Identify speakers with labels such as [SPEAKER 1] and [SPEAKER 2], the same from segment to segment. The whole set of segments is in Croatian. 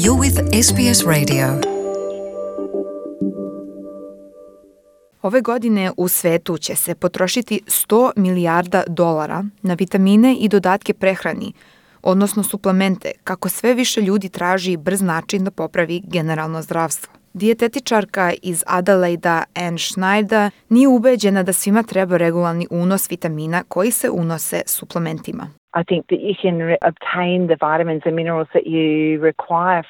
[SPEAKER 1] You're with SBS Radio. Ove godine u svetu će se potrošiti 100 milijarda dolara na vitamine i dodatke prehrani, odnosno suplemente, kako sve više ljudi traži brz način da popravi generalno zdravstvo. Dijetetičarka iz Adelaida Anne Schneider nije ubeđena da svima treba regularni unos vitamina koji se unose suplementima.
[SPEAKER 2] I think that you can obtain the vitamins and minerals that you require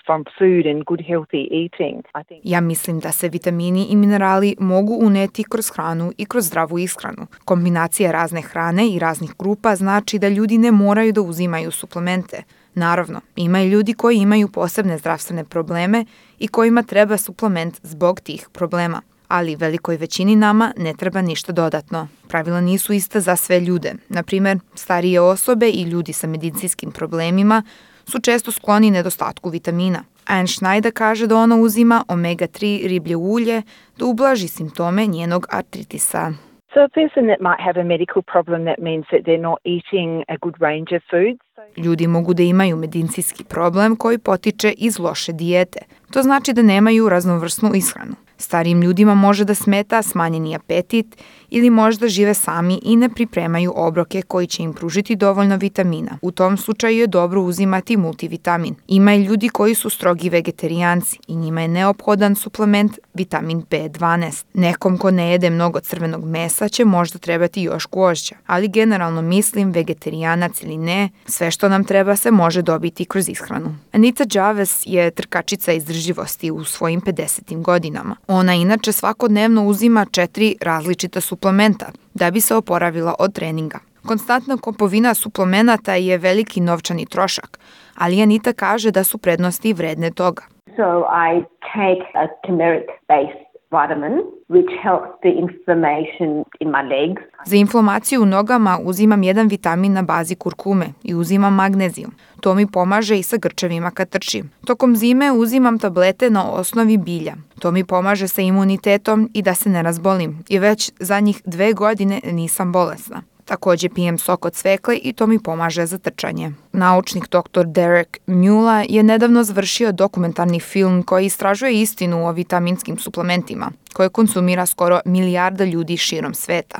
[SPEAKER 2] from food and good healthy eating.
[SPEAKER 1] Ja mislim da se vitamini i minerali mogu uneti kroz hranu i kroz zdravu ishranu. Kombinacija razne hrane i raznih grupa znači da ljudi ne moraju da uzimaju suplemente. Naravno, ima i ljudi koji imaju posebne zdravstvene probleme i kojima treba suplement zbog tih problema. Ali velikoj većini nama ne treba ništa dodatno. Pravila nisu ista za sve ljude. Naprimjer, starije osobe i ljudi sa medicinskim problemima su često skloni nedostatku vitamina. Anne Schneider kaže da ona uzima omega-3 riblje ulje da ublaži simptome njenog artritisa.
[SPEAKER 2] So a person that might have a medical problem, that means that they're not eating a good range of foods.
[SPEAKER 1] Ljudi mogu da imaju medicinski problem koji potiče iz loše dijete. To znači da nemaju raznovrsnu ishranu. Starijim ljudima može da smeta smanjeni apetit ili možda žive sami i ne pripremaju obroke koji će im pružiti dovoljno vitamina. U tom slučaju je dobro uzimati multivitamin. Ima i ljudi koji su strogi vegetarijanci i njima je neophodan suplement vitamin B12. Nekom ko ne jede mnogo crvenog mesa će možda trebati još gvožđa, ali generalno mislim vegetarijanac ili ne, sve što nam treba se može dobiti kroz ishranu. Anita Jarvis je trkačica izdržljivosti u svojim 50. godinama. Ona inače svakodnevno uzima 4 različita suplementa da bi se oporavila od treninga. Konstantna kupovina suplemenata je veliki novčani trošak, ali Anita kaže da su prednosti vredne toga.
[SPEAKER 3] So I take a turmeric-based vitamin which helps the inflammation in my legs.
[SPEAKER 1] Za inflamaciju u nogama uzimam jedan vitamin na bazi kurkume i uzimam magnezijum. To mi pomaže i sa grčevima kad trčim. Tokom zime uzimam tablete na osnovi bilja. To mi pomaže sa imunitetom i da se ne razbolim. I već zadnjih 2 godine nisam bolesna. Također pijem sok od cvekle i to mi pomaže za trčanje. Naučnik dr. Derek Mueller je nedavno završio dokumentarni film koji istražuje istinu o vitaminskim suplementima, koje konsumira skoro milijarda ljudi širom sveta.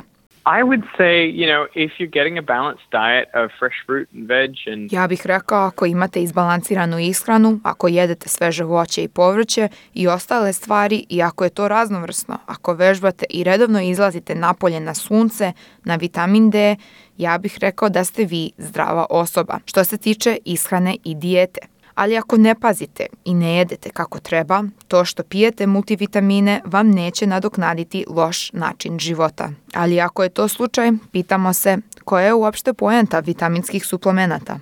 [SPEAKER 4] I would say, if you're getting a balanced diet of fresh fruit and veg and...
[SPEAKER 1] Ja bih rekao, ako imate izbalansiranu ishranu, ako jedete sveže voće i povrće i ostale stvari i ako je to raznovrsno, ako vežbate i redovno izlazite napolje na sunce, na vitamin D, ja bih rekao da ste vi zdrava osoba što se tiče ishrane i dijete. Ali ako ne pazite i ne jedete kako treba, to što pijete multivitamine vam neće nadoknaditi loš način života. Ali ako je to slučaj, pitamo se koja je uopšte poenta vitaminskih suplemenata.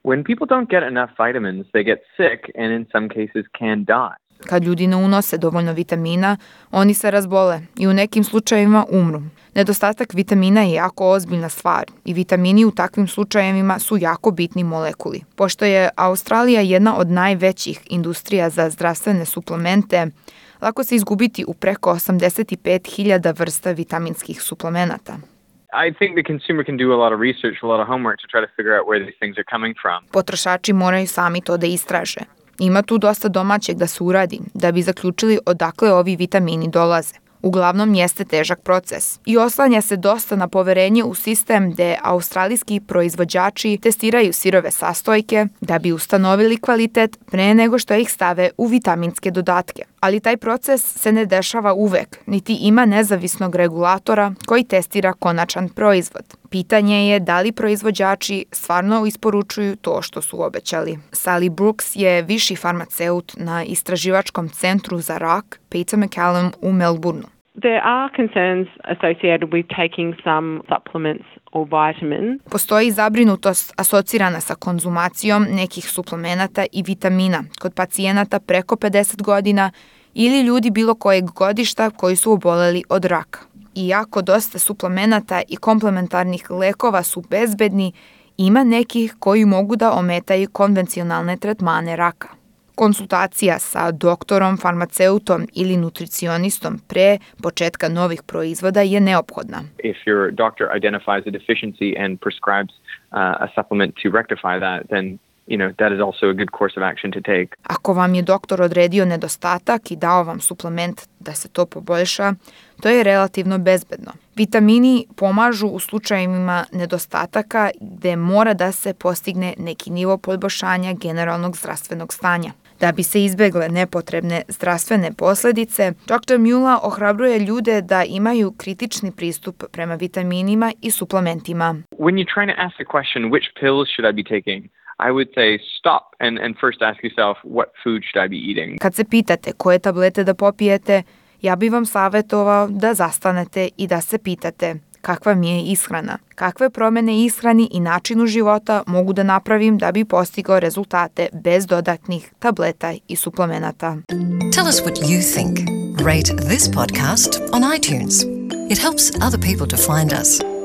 [SPEAKER 4] When people don't get enough vitamins, they get sick and in some cases can die.
[SPEAKER 1] Kad ljudi ne unose dovoljno vitamina, oni se razbole i u nekim slučajevima umru. Nedostatak vitamina je jako ozbiljna stvar i vitamini u takvim slučajevima su jako bitni molekuli. Pošto je Australija jedna od najvećih industrija za zdravstvene suplemente, lako se izgubiti u preko 85.000 vrsta vitaminskih suplemenata.
[SPEAKER 4] I think the consumer can do a lot of research, a lot of homework to try to figure out where these things are coming from.
[SPEAKER 1] Potrošači moraju sami to da istraže. Ima tu dosta domaćeg da se uradi, da bi zaključili odakle ovi vitamini dolaze. Uglavnom jeste težak proces i oslanja se dosta na poverenje u sistem gde australijski proizvođači testiraju sirove sastojke da bi ustanovili kvalitet pre nego što ih stave u vitaminske dodatke. Ali taj proces se ne dešava uvek, niti ima nezavisnog regulatora koji testira konačan proizvod. Pitanje je da li proizvođači stvarno isporučuju to što su obećali. Sally Brooks je viši farmaceut na istraživačkom centru za rak Peter MacCallum u Melbourneu.
[SPEAKER 5] There are concerns associated with taking some supplements or vitamins.
[SPEAKER 1] Postoji zabrinutost asocirana sa konzumacijom nekih suplemenata i vitamina kod pacijenata preko 50 godina ili ljudi bilo kojeg godišta koji su oboleli od raka. Iako dosta suplemenata i komplementarnih lekova su bezbedni, ima nekih koji mogu da ometaju konvencionalne tretmane raka. Konsultacija sa doktorom, farmaceutom ili nutricionistom pre početka novih proizvoda je neophodna.
[SPEAKER 4] If your doctor identifies a deficiency and prescribes a supplement to rectify that, then that is also a good course of action to take.
[SPEAKER 1] Ako vam je doktor odredio nedostatak i dao vam suplement da se to poboljša, to je relativno bezbedno. Vitamini pomažu u slučajevima nedostataka gde mora da se postigne neki nivo poboljšanja generalnog zdravstvenog stanja. Da bi se izbegle nepotrebne zdravstvene posledice, dr. Mueller ohrabruje ljude da imaju kritični pristup prema vitaminima i suplementima.
[SPEAKER 4] When you're trying to ask the question, which pills should I be taking? I would say stop and first ask yourself, what food should I be eating?
[SPEAKER 1] Kad se pitate koje tablete da popijete, ja bih vam savjetovao da zastanete i da se pitate kakva mi je ishrana, kakve promene ishrani i načinu života mogu da napravim da bi postigao rezultate bez dodatnih tableta i suplemenata.
[SPEAKER 6] Tell us what you think. Rate this podcast on iTunes. It helps other people to find us.